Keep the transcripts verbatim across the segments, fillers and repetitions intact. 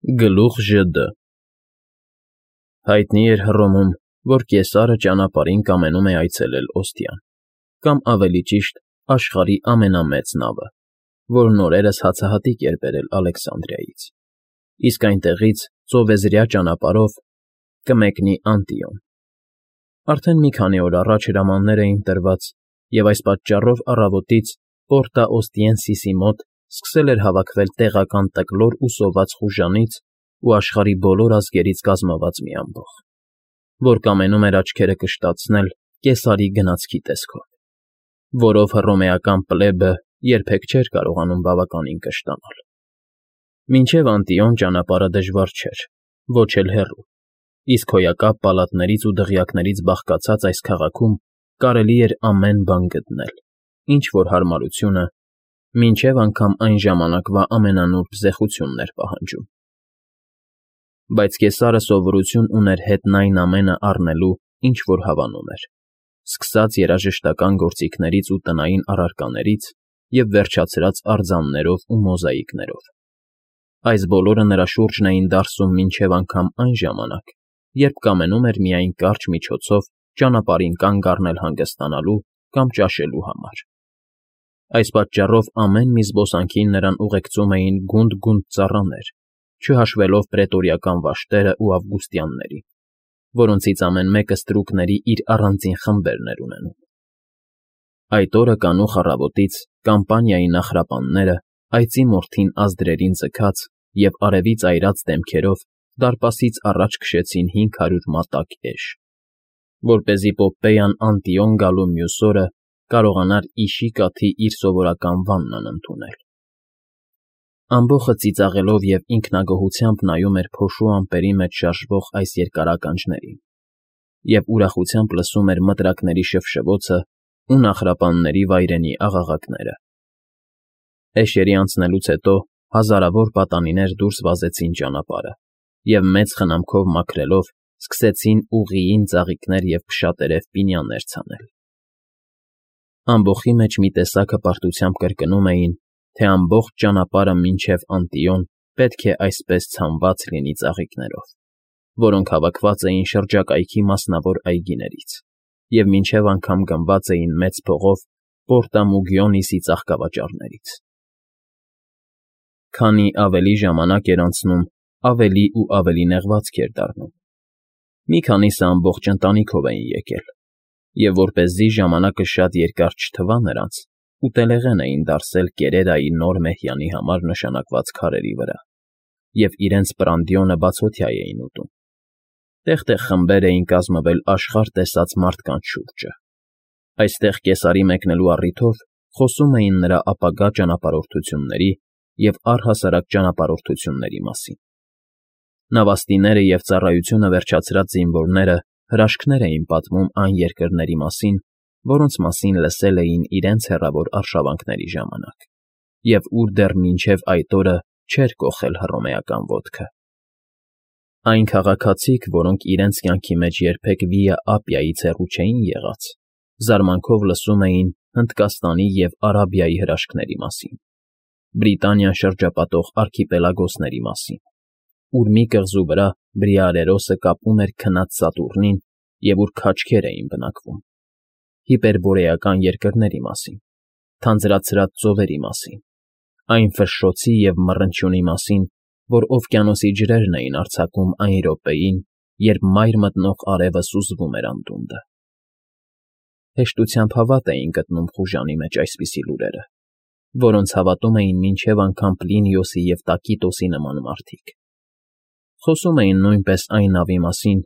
Գլուխ Ժ Դ Հայտնի էր Հռոմում, որ կեսարը ճանապարհին կամենում է այցելել Օստիան, կամ ավելի ճիշտ, աշխարհի ամենամեծ նավը, որն օրերս հացահատիկ էր բերել Ալեքսանդրիայից, իսկ այնտեղից ծովեզրյա ճանապարհով կմեկնի Անտիոն։ Արդեն մի քանի օր առաջ հրամաններ էին տրված, և այս պատճառով առավոտից Պորտա Օստիենսիսի մոտ սկսել էր հավաքվել տեղական տկլոր ու սոված խուժանից ու աշխարհի բոլոր ազգերից կազմված մի ամբոխ, որ կամենում էր աչքերը կշտացնել Կեսարի գնացքի տեսքով, որով հռոմեական պլեբը երբեք չէր կարողանում բավականին կշտանալ։ Մինչև Անտիոն ճանապարհը դժվար չէր, ոչ էլ հեռու, իսկ հոյակապ պալատներից ու դղյակներից բաղկացած այս քաղաքում կարելի էր ամեն բան գտնել, ինչ֊որ հարմարությունը մինչև անգամ այն ժամանակվա ամենանուրբ զեխությունն էր պահանջում։ Բայց Կեսարը սովորություն ուներ հետն այն ամենը առնելու, ինչ որ հավանում էր, սկսած երաժշտական գործիքներից ու տնային առարկաներից և վերջացրած արձաններով ու մոզաիկներով։ Այս բոլորը նրա շուրջն էին դարսում մինչև անգամ այն ժամանակ, երբ կամենում էր միայն կարճ միջոցով ճանապարհին կանգ առնել հանգստանալու կամ ճաշելու համար։ Այս պատճառով ամեն մի զբոսանքին նրան ուղեկցում էին գունդ֊գունդ ծառաներ, չհաշվելով պրետորիական վաշտերն ու ավգուստյաններին, որոնցից ամեն մեկը ստրուկների իր առանձին խմբերն էր ունենում։ Այդ օրը կանուխ առավոտից կամպանիայի նախրապանները այծի մորթին ազդրերին ձգած և արևից այրած դեմքերով դարպասից առաջ քշեցին հինգ հարյուր մատակ էշ, որպեսզի Պոպպեյան Անտիոն գալու մյուս օրը կարողանար իշի կաթի իր սովորական վաննան ընդունել։ Ամբոխը ծիծաղելով և ինքնագոհությամբ նայում էր փոշու ամպերի մեջ շարժվող այս երկար ականջներին և ուրախությամբ լսում էր մտրակների շվշվոցն ու նախրապանների վայրենի աղաղակները։ Էշերի անցնելուց հետո հազարավոր պատանիներ դուրս վազեցին ճանապարհը և մեծ խնամքով մաքրելով սկսեցին ուղիին ծաղիկներ և փշատերև պինյաներ ցանել։ Ամբոխի մեջ մի տեսակ հպարտությամբ կրկնում էին, թե ամբողջ ճանապարհը մինչև Անտիոն պետք է այսպես ցանված լինի ծաղիկներով, որոնք հավաքված էին շրջակայքի մասնավոր այգիներից և մինչև անգամ գնված էին մեծ փողով Պորտա Մուգիոնիսի ծաղկավաճառներից։ Քանի ավելի ժամանակ էր անցնում, ավելի ու ավելի նեղվածք էր դառնում։ Մի քանիսը ամբողջ ընտանիքով էին եկել, և որպեսզի ժամանակը շատ երկար չթվա նրանց, ուտելեղեն էին դարսել Կերերայի նոր մեհյանի համար նշանակված քարերի վրա և իրենց պրանդիոնը բացօթյա էին ուտում։ Տեղ֊տեղ խմբեր էին կազմվել աշխարհ տեսած մարդկանց շուրջը։ Այստեղ Կեսարի մեկնելու առիթով խոսում էին նրա ապագա ճանապարհորդությունների և առհասարակ ճանապարհորդությունների մասին։ Նավաստիները և ծառայությունը վերջացրած զինվորները հրաշքներ էին պատմում այն երկրների մասին, որոնց մասին լսել էին իրենց հեռավոր արշավանքների ժամանակ, և ուր դեռ մինչև այդ օրը չէր կոխել հռոմեական ոտքը։ Այն քաղաքացիք, որոնք իրենց կյանքի մեջ երբեք Վիա Ապիայից հեռու չէին եղած, զարմանքով լսում էին Հնդկաստանի և Արաբիայի հրաշքների մասին, Բրիտանիան շրջապատող արքիպելագոսների մասին, ուր մի կղզու վրա Բրիարերոսը կապում էր քնած Սատուրնին և ուր քաչքեր էին բնակվում, հիպերբորեական երկրների մասին, թանձրացրած ծովերի մասին, այն ֆշշոցի և մռնչյունի մասին, որ օվկիանոսի ջրերն էին արձակում այն րոպեին, երբ մայր մտնող արևը սուզվում էր անդունդը։ Հեշտությամբ հավատ էին գտնում խուժանի մեջ այսպիսի լուրերը, որոնց հավատում էին մինչև անգամ Պլինիոսի և Տակիտոսի նման մարդիկ։ Խոսում էին նույնպես այն նավի մասին,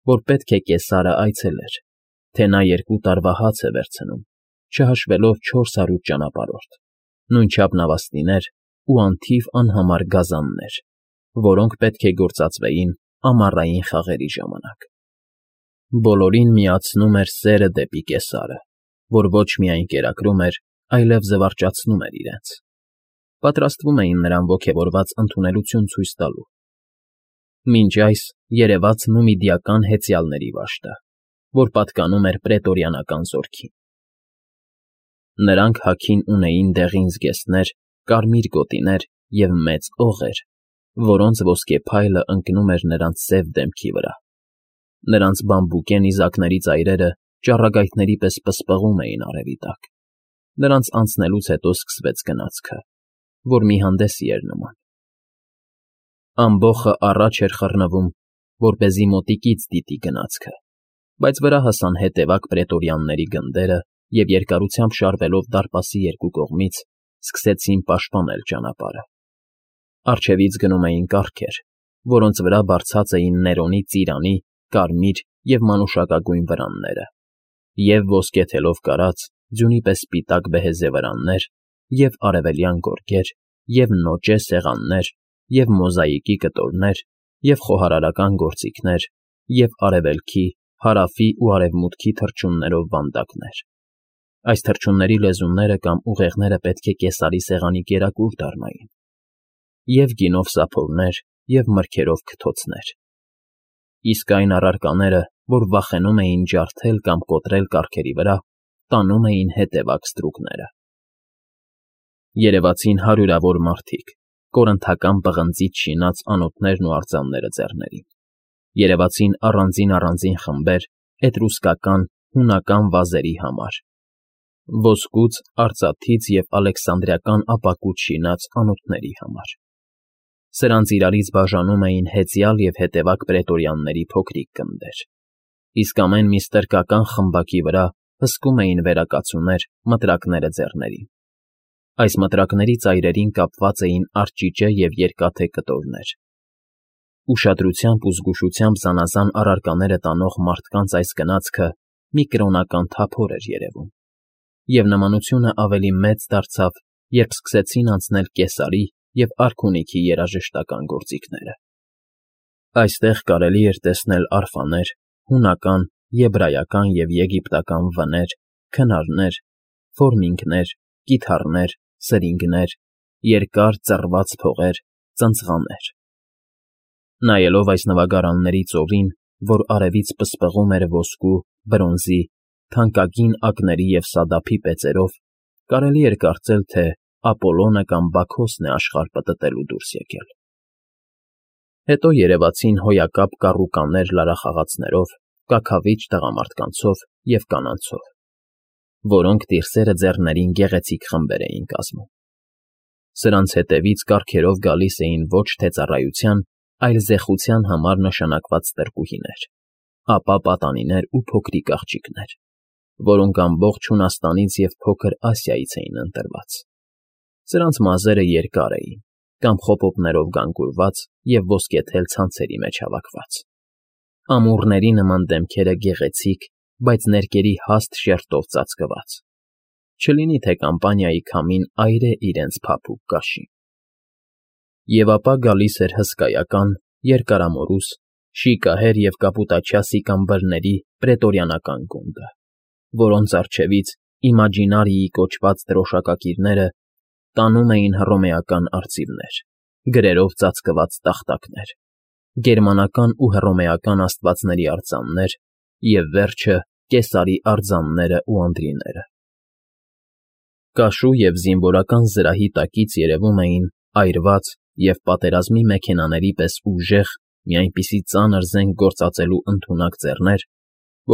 որ պետք է Կեսարը այցելեր, թե նա երկու տարվա հաց է վերցնում, չհաշվելով չորս հարյուր ճանապարհորդ, նույնչափ նավաստիներ ու անթիվ անհամար գազաններ, որոնք պետք է գործածվեին ամառային խաղերի ժամանակ։ Բոլորին միացնում էր սերը դեպի Կեսարը, որ ոչ միայն կերակրում էր, այլև զվարճացնում էր իրենց։ Պատրաստվում էին նրան ոգևորված ընդունելություն ցույց տալու։ Մինչ այս երևաց նումիդիական հեծյալների վաշտը, որ պատկանում էր պրետորիանական զորքին։ Նրանք հագին ունեին դեղին զգեստներ, կարմիր գոտիներ և մեծ օղեր, որոնց ոսկե փայլը ընկնում էր նրանց սև դեմքի վրա։ Նրանց բամբուկե նիզակների ծայրերը ճառագայթների պես պսպղում էին արևի տակ։ Նրանց անցնելուց հետո սկսվեց գնացքը, որ մի հանդեսի էր նման։ Ամբոխը առաջ էր խռնվում, որպեսզի մոտիկից դիտի գնացքը, բայց վրա հասան հետևակ պրետորյանների գնդերը և երկարությամբ շարվելով դարպասի երկու կողմից սկսեցին պաշտպանել ճանապարհը։ Առջևից գնում էին կառքեր, որոնց վրա բարձած էին Ներոնի ծիրանի, կարմիր և մանուշակագույն վրանները, և ոսկե թելով կարած, ձյունի պես սպիտակ բեհեզե վրաններ, և արևելյան գորգեր, և նոճե սեղաններ, և մոզաիկի կտորներ, և խոհարարական գործիքներ, և արևելքի, հարավի ու արևմուտքի թռչուններով վանդակներ։ Այս թռչունների լեզուները կամ ուղեղները պետք է կեսարի սեղանի կերակուր դառնային, և գինով սափորներ, և մրգերով քթոցներ։ Իսկ այն առարկաները, որ վախենում էին ջարդել կամ կոտրել կառքերի վրա, տանում էին հետևակ ստրուկները։ Երևացին հարյուրավոր մարդիկ, կորնթական պղնձից շինած անոթներն ու արձանները ձեռներին։ Երևացին առանձին֊առանձին խմբեր էտրուսկական, հունական վազերի համար, ոսկուց, արծաթից և ալեքսանդրիական ապակուց շինած անոթների համար։ Սրանց իրարից բաժանում էին հեծյալ և հետևակ պրետորյանների փոքրիկ գնդեր, իսկ ամեն մի ստրկական խմբակի վրա հսկում էին վերակացուներ մտրակները ձեռներին։ Այս մտրակների ծայրերին կապված էին արճիճե և երկաթե կտորներ։ Ուշադրությամբ ու զգուշությամբ զանազան առարկաները տանող մարդկանց այս գնացքը մի կրոնական թափոր էր երևում, և նմանությունը ավելի մեծ դարձավ, երբ սկսեցին անցնել Կեսարի և արքունիքի երաժշտական գործիքները։ Այստեղ կարելի էր տեսնել արֆաներ, հունական, եբրայական և եգիպտական վներ, քնարներ, ֆորմինգներ, կիթառներ, սրինգներ, երկար ծռված փողեր, ծնծղաներ։ Նայելով այս նվագարանների ծովին, որ արևից պսպղում էր ոսկու, բրոնզի, թանկագին ակների և սադափի պեծերով, կարելի էր կարծել, թե Ապոլոնը կամ Բաքոսն է աշխարհ պտտելու դուրս եկել։ Հետո երևացին հոյակապ կառուկաներ լարախաղացներով, կաքավիճ տղամարդկանցով և կանանցով, որոնք տիրսերը ձեռներին գեղեցիկ խմբեր էին կազմում։ Սրանց հետևից կառքերով գալիս էին ոչ թե ծառայության, այլ զեխության համար նշանակված տրկուհիներ, ապա պատանիներ ու փոքրիկ աղջիկներ, որոնք ամբողջ Հունաստանից և Փոքր Ասիայից էին ընտրված։ Սրանց մազերը երկար էին, կամ խոպոպներով գանգուրված և ոսկեթել ցանցերի մեջ հավաքված։ Ամուռների նման դեմքերը գեղեցիկ, բայց ներկերի հաստ շերտով ծածկված, չլինի թե կամպանիայի քամին այրե իրենց փափուկ կաշին։ Եվ ապա գալիս էր հսկայական, երկարամորուս, շիկահեր և կապուտաչյա սիկամբրների պրետորյանական գունդը, որոնց առջևից Իմաջինարիի կոչված դրոշակակիրները տանում էին հռոմեական արծիվներ, գրերով ծածկված տախտակներ, գերմանական ու հռոմեական աստվածների արձաններ և, վերջը, Կեսարի արձանները ու անդրիները։ Կաշու և զինվորական զրահի տակից երևում էին այրված և պատերազմի մեքենաների պես ուժեղ մի այնպիսի ծանր զենք գործածելու ընդունակ ձեռներ,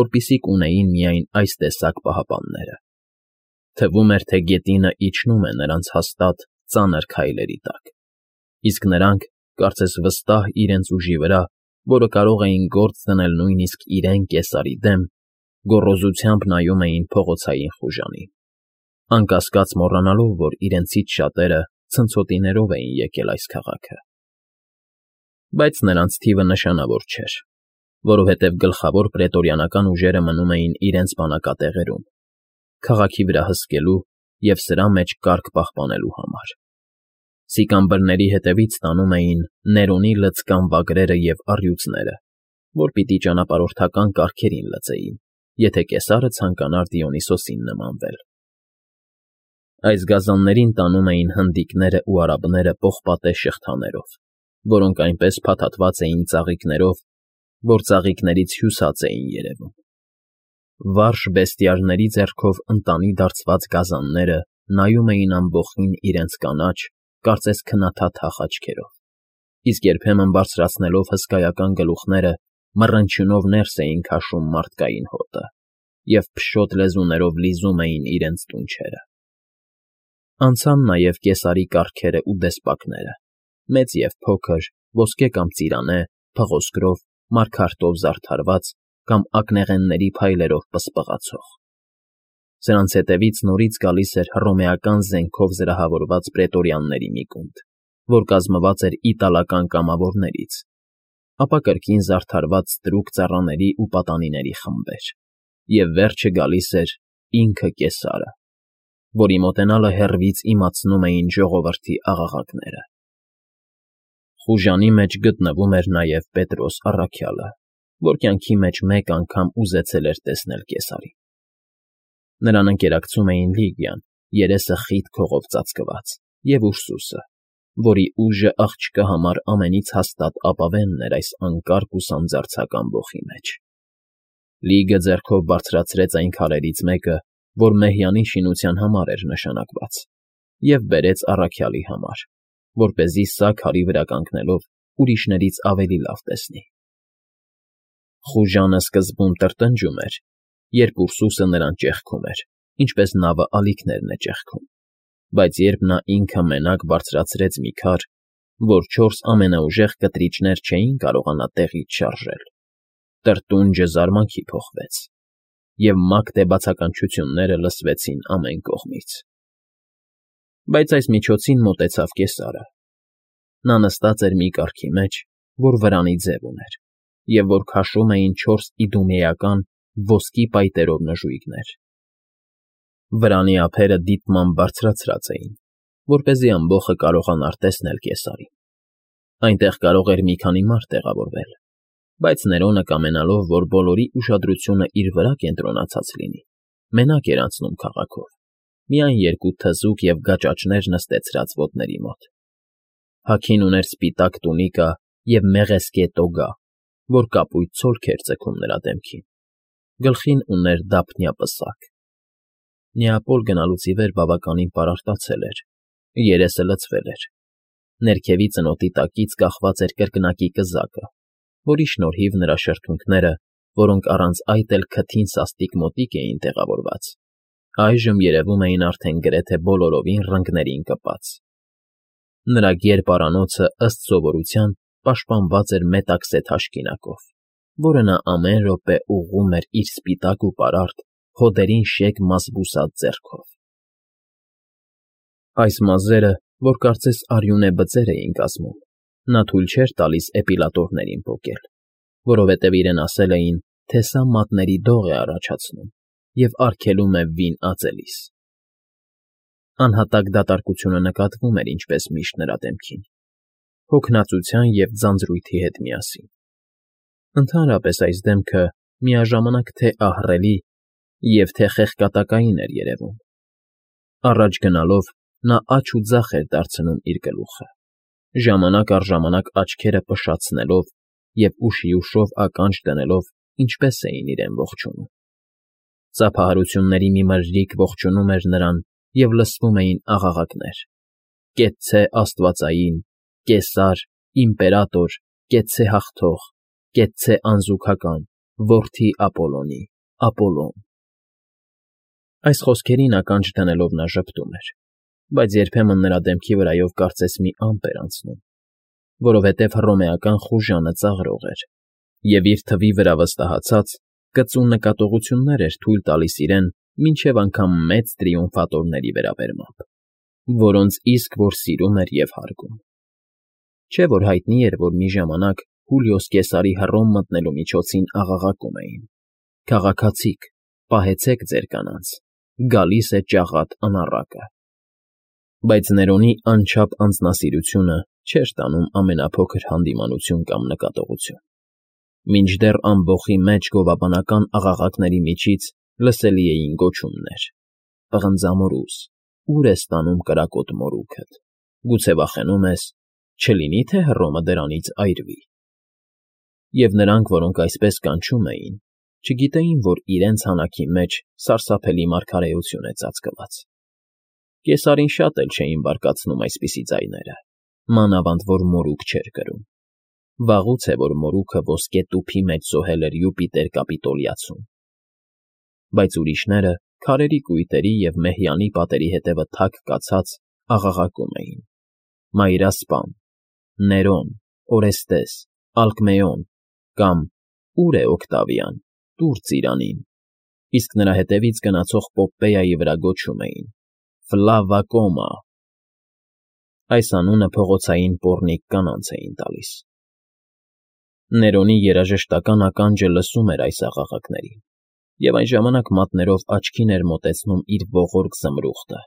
որպիսիք ունեին միայն այս տեսակ պահապանները։ Թվում էր, թե գետինը իջնում է նրանց հաստատ, ծանր քայլերի տակ, իսկ նրանք, կարծես վստահ իրենց ուժի վրա, որը կարող էին գործ դնել նույնիսկ իրեն Կեսարի դեմ, գոռոզությամբ նայում էին փողոցային խուժանին, անկասկած մոռանալով, որ իրենցից շատերը ցնցոտիներով էին եկել այս քաղաքը։ Բայց նրանց թիվը նշանավոր չէր, որովհետև գլխավոր պրետորյանական ուժերը մնում էին իրենց բանակատեղերում, քաղաքի վրա հսկելու և սրա մեջ կարգ պահպանելու համար։ Սիկամբրների հետևից տանում էին Ներոնի լցկան վագրերը և առյուծները, որ պիտի ճանապարհորդական կառքերին լծեին, եթե Կեսարը ցանկանար Դիոնիսոսին նմանվել։ Այս գազաններին տանում էին հնդիկներն ու արաբները պողպատե շղթաներով, որոնք այնպես փաթաթված էին ծաղիկներով, որ ծաղիկներից հյուսած էին երևում։ Վարժ բեստիարների ձեռքով ընտանի դարձված գազանները նայում էին ամբոխին իրենց կանաչ, կարծես քնաթաթախ աչքերով, իսկ երբեմն բարձրացնելով հսկայական գլուխները, մռնչյունով ներս էին քաշում մարդկային հոտը և փշոտ լեզուներով լիզում էին իրենց դունչերը։ Անցան նաև կեսարի կառքերն ու դեսպակները, մեծ և փոքր, ոսկե կամ ծիրանե, փղոսկրով, մարգարտով զարդարված կամ ակնեղենների փայլերով պսպղացող։ Սրանց ետևից նորից գալիս էր հռոմեական զենքով զրահավորված պրետորյանների մի գունդ, որ կազմված էր իտալական կամավորներից, ապա կրկին զարդարված ստրուկ ծառաների ու պատանիների խմբեր, և վերջը գալիս էր ինքը Կեսարը, որի մոտենալը հեռվից իմացնում էին ժողովրդի աղաղակները։ Խուժանի մեջ գտնվում էր նաև Պետրոս առաքյալը, որ կյանքի մեջ մեկ անգամ ուզեցել էր տեսնել Կեսարին։ Նրան ընկերակցում էին Լիգիան, երեսը խիտ քողով ծածկված, և Ուրսուսը, որի ուժը աղջկա համար ամենից հաստատ ապավենն էր այս անկարգ ու սանձարձական ոխի մեջ։ Լիգը ձեռքով բարձրացրեց այն քարերից մեկը, որ Մեհյանի շինության համար էր նշանակված, և բերեց առաքյալի համար, որպեսզի սա քարի վրա կանգնելով ուրիշներից ավելի լավ տեսնի։ Խուժանը սկզբում տրտնջում էր, երբ Ուրսուսը նրան ճեղքում էր, ինչպես նավը ալիքներն է ճեղքում, բայց երբ նա ինքը մենակ բարձրացրեց մի քար, որ չորս ամենաուժեղ կտրիչներ չէին կարողանա տեղից շարժել, տրտունջը զարմանքի փոխվեց, և մակթե բացականչությունները լսվեցին ամեն կողմից։ Բայց այս միջոցին մոտեցավ Կեսարը։ Նա նստած էր մի կառքի մեջ, որ վրանի ձև ուներ, և որ քաշում էին չորս իդումեական ոսկի պայտերով նժույգներ։ Վրանի ափերը դիտմամբ բարձրացրած էին, որպեսզի ամբոխը կարողանար տեսնել Կեսարին։ Այնտեղ կարող էր մի քանի մարդ տեղավորվել, բայց Ներոնը կամենալով, որ բոլորի ուշադրությունը իր վրա կենտրոնացած լինի, մենակ էր անցնում քաղաքով, միայն երկու թզուկ և գաճաճներ նստեցրած ոտների մոտ։ Հագին ուներ սպիտակ տունիկա և մեղեսկե տոգա, որ կապույտ ցոլք էր ձգում նրա դեմքին, գլխին ուներ դափնյա պսակ։ Նեապոլ գնալուց ի վեր բավականին պարարտացել էր, երեսը լցվել էր, ներքևի ծնոտի տակից կախված էր կրկնակի կզակը, որի շնորհիվ նրա շրթունքները, որոնք առանց այդ էլ քթին սաստիկ մոտիկ էին տեղավորված, այժմ երևում էին արդեն գրեթե բոլորովին ռնգներին կպած։ Նրա գերպարանոցը, ըստ սովորության, պաշտպանված էր մետաքսե թաշկինակով, որը նա ամեն րոպե ուղղում էր իր սպիտակ ու պարարտ, հոդերին շեկ մազ բուսած ձեռքով։ Այս մազերը, որ կարծես արյունե բծեր էին կազմում, նա թույլ չէր տալիս էպիլատորներին պոկել, որովհետև իրեն ասել էին, թե սա մատների դող է առաջացնում և արգելում է վին ածելիս։ Անհատակ դատարկությունը նկատվում էր ինչպես միշտ նրա դեմքին, հոգնածության և ձանձրույթի հետ միասին։ Ընդհանրապես այս դեմքը միաժամանակ թե ահռելի և թե խեղկատակային էր երևում։ Առաջ գնալով նա աջ ու ձախ էր դարձնում իր գլուխը, ժամանակ առ ժամանակ աչքերը փշացնելով և ուշի ուշով ականջ դնելով, ինչպես էին իրեն ողջունում։ Ծափահարությունների մի մրրիկ ողջունում էր նրան, և լսվում էին աղաղակներ. «Կեցցե աստվածային, Կեսար, իմպերատոր, կեցցե հաղթող, կեցցե անզուգական, որդի Ապոլոնի, Ապոլոն»։ Այս խոսքերին ականջ դնելով նա ժպտում էր, բայց երբեմն նրա դեմքի վրայով կարծես մի ամպ էր անցնում, որովհետև հռոմեական խուժանը ծաղրող էր, և իր թվի վրա վստահացած, կծու նկատողություններ էր թույլ տալիս իրեն մինչև անգամ մեծ տրիումֆատորների վերաբերմամբ, որոնց իսկ որ սիրում էր և հարգում։ Չէ՞ որ հայտնի էր, որ մի ժամանակ Հուլիոս Կեսարի Հռոմ մտնելու միջոցին աղաղակում էին. «Քաղաքացիք, պահեցեք ձեր կանանց, գալիս է ճաղատ անառակը»։ Բայց Ներոնի անչափ անձնասիրությունը չէր տանում ամենափոքր հանդիմանություն կամ նկատողություն։ Մինչդեռ ամբոխի մեջ գովաբանական աղաղակների միջից լսելի էին գոչումներ. «Պղնձամորուս, ո՞ւր ես տանում կրակոտ մորուքդ, գուցե վախենում ես, չլինի՞ թե Հռոմը դրանից այրվի»։ Եվ նրանք, որոնք այսպես կանչում էին, չգիտեին, որ իրենց հանակի մեջ սարսափելի մարգարեություն է ծածկված։ Կեսարին շատ էլ չէին բարկացնում այսպիսի ձայները, մանավանդ որ մորուք չէր կրում։ Վաղուց է, որ մորուքը ոսկե տուփի մեջ զոհել էր Յուպիտեր Կապիտոլիացուն։ Բայց ուրիշները քարերի կույտերի և մեհյանի պատերի հետևը թաք կացած աղաղակում էին. «Մայրասպան, Ներոն, Օրեստես, Ալկմեոն» կամ «Ո՞ւր է Օկտավիան, տուր ծիրանին», իսկ նրա հետևից գնացող Պոպպեյայի վրա գոչում էին. «Ֆլավա Կոմա»։ Այս անունը փողոցային պոռնիկ կանանց էին տալիս։ Ներոնի երաժշտական ականջը լսում էր այս աղաղակներին, և այն ժամանակ մատներով աչքին էր մոտեցնում իր ողորկ զմրուխտը,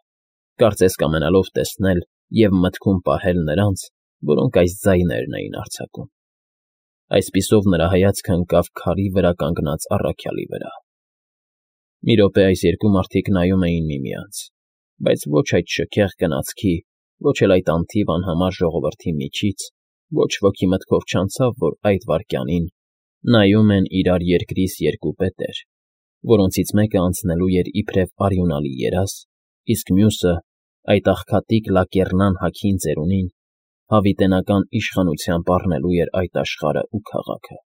կարծես կամենալով տեսնել և մտքում պահել նրանց, որոնք այս ձայներն էին արձակում։ Այսպիսով նրա հայացքը ընկավ քարի վրա կանգնած առաքյալի վրա։ Մի րոպե այս երկու մարդիկ նայում էին միմյանց, բայց ոչ այդ շքեղ գնացքի, ոչ էլ այդ անթիվ անհամար ժողովրդի միջից ոչ ոքի մտքով չանցավ, որ այդ վայրկյանին նայում են իրար երկրից երկու պետեր, որոնցից մեկը անցնելու էր իբրև արյունալի երազ, իսկ մյուսը, այդ աղքատիկ լակեռնան հագին ծերունին, հավիտենական իշխանությամբ առնելու էր այդ աշխարհն ու քաղաքը։